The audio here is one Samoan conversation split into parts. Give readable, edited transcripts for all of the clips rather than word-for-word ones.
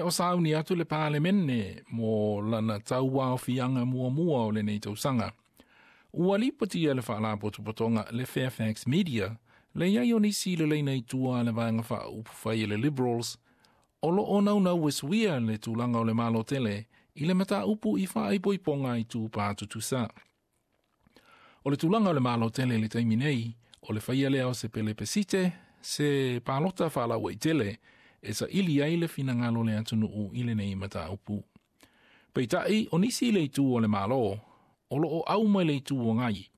o sauni atu le Palemene mo lana tauaofiaga muamua o lenei tausaga. Ua lipotia e le faalapotopotoga le Fairfax Media le i ai o nisi i le laina i tua a le Vaega Faaupufai a le Liberals o lo o naunau e suia le tulaga o le Malo tele i le mataupu i faaipoipoga i tupā tutusa. O le tulaga o le Malo tele i le taimi nei, o le faia lea o se pelepesite, se palota faalauaitele e saili ai le finagalo o le atunuu i lenei mataupu. Peitai, o nisi i le itu o le Malo, o lo o au mai le Itu Agai,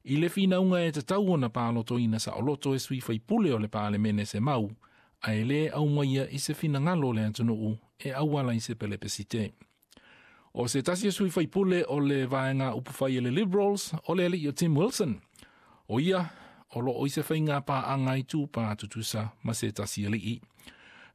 i le finauga e tatau ona palotoina saoloto e sui faipule o le Palemene se mau, ae le aumaia i se finagalo o le atunuu e auala i se pelepesite. O se tasi o sui faipule o le vaega upufai a le Liberals, o le alii o Tim Wilson. O ia, o lo o i se faiga paaga itupa tutusa ma se tasi alii.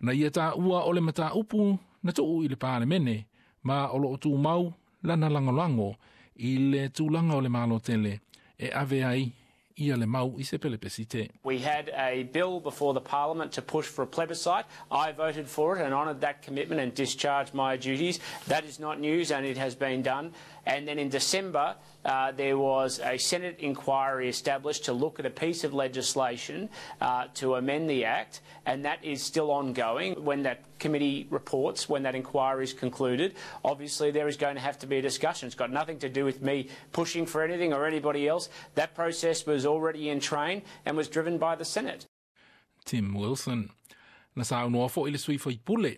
Na ia taua o le mataupu na tuu i le Palemene, ma o lo o tumau lana lagolago i le tulaga o le Malo tele e ave ai ia le mau i se pelepesite. We had a bill before the parliament to push for a plebiscite. I voted for it and honoured that commitment and discharged my duties. That is not news and it has been done. And then in December, there was a Senate inquiry established to look at a piece of legislation to amend the Act, and that is still ongoing. When that committee reports, when that inquiry is concluded, obviously there is going to have to be a discussion. It's got nothing to do with me pushing for anything or anybody else. That process was already in train and was driven by the Senate. Tim Wilson. Na saunoa foi le sui faipule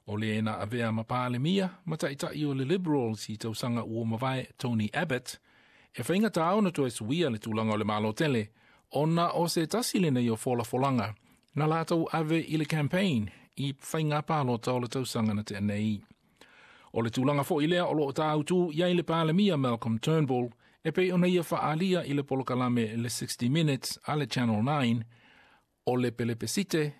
o le na avea ma Palemia ma taitai o le Liberals i tausaga ua mavae Tony Abbott, e faigata ona toe suia le tulaga o le Malo tele, ona o se tasi lenei o folafolaga na latou ave i le campaign i faiga palota o le tausaga na tea nei. O le tulaga foi lea o lo o tāutu i ai le Palemia Malcolm Turnbull e pei ona ia faaalia i le polokalame le 60 Minutes a le Channel 9, o le pelepesite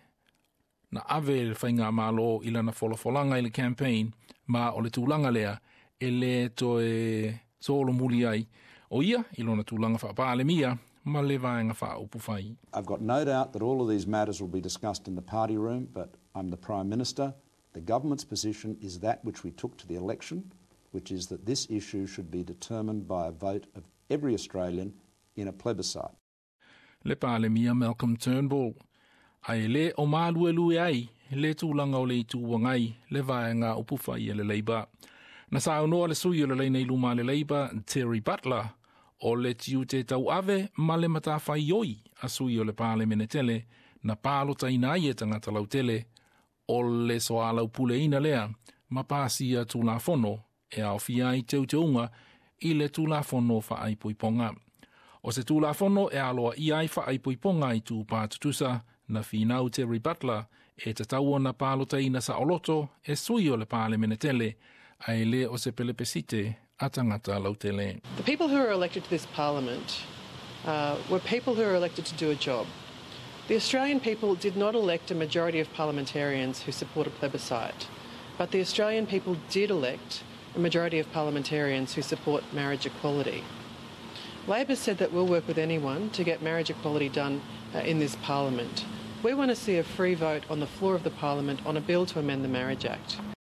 na ave le faigamalo i lana folafolaga i le campaign, ma o le tulaga lea e le toe solomuli ai o ia i lona tulaga faapalemia ma le vaega faaupufai. I've got no doubt that all of these matters will be discussed in the party room, but I'm the Prime Minister. The government's position is that which we took to the election, which is that this issue should be determined by a vote of every Australian in a plebiscite. Le Palemia Malcolm Turnbull. Ae le o maluelue ai le tulaga o le Itu Agai le vaega upufai a le Labour. Na saunoa le sui o le laina i luma a le Labour, Terry Butler, o le tiute tauave ma le matafaioi a sui o le Palemene tele na palotaina ai e tagata lautele o le soalaupuleina lea ma pasia Tulafono e aofia ai teuteuga i le Tulafono Faaipoipoga. O se Tulafono e aloaia ai faaipoipoga i tupā tutusa na finau Terry Butler e tatau ona palotaina saoloto e sui o le Palemene tele, ae le o se pelepesite a tagata lautele. The people who were elected to this parliament were people who were elected to do a job. The Australian people did not elect a majority of parliamentarians who support a plebiscite, but the Australian people did elect a majority of parliamentarians who support marriage equality. Labor said that we'll work with anyone to get marriage equality done in this parliament. We want to see a free vote on the floor of the parliament on a bill to amend the Marriage Act.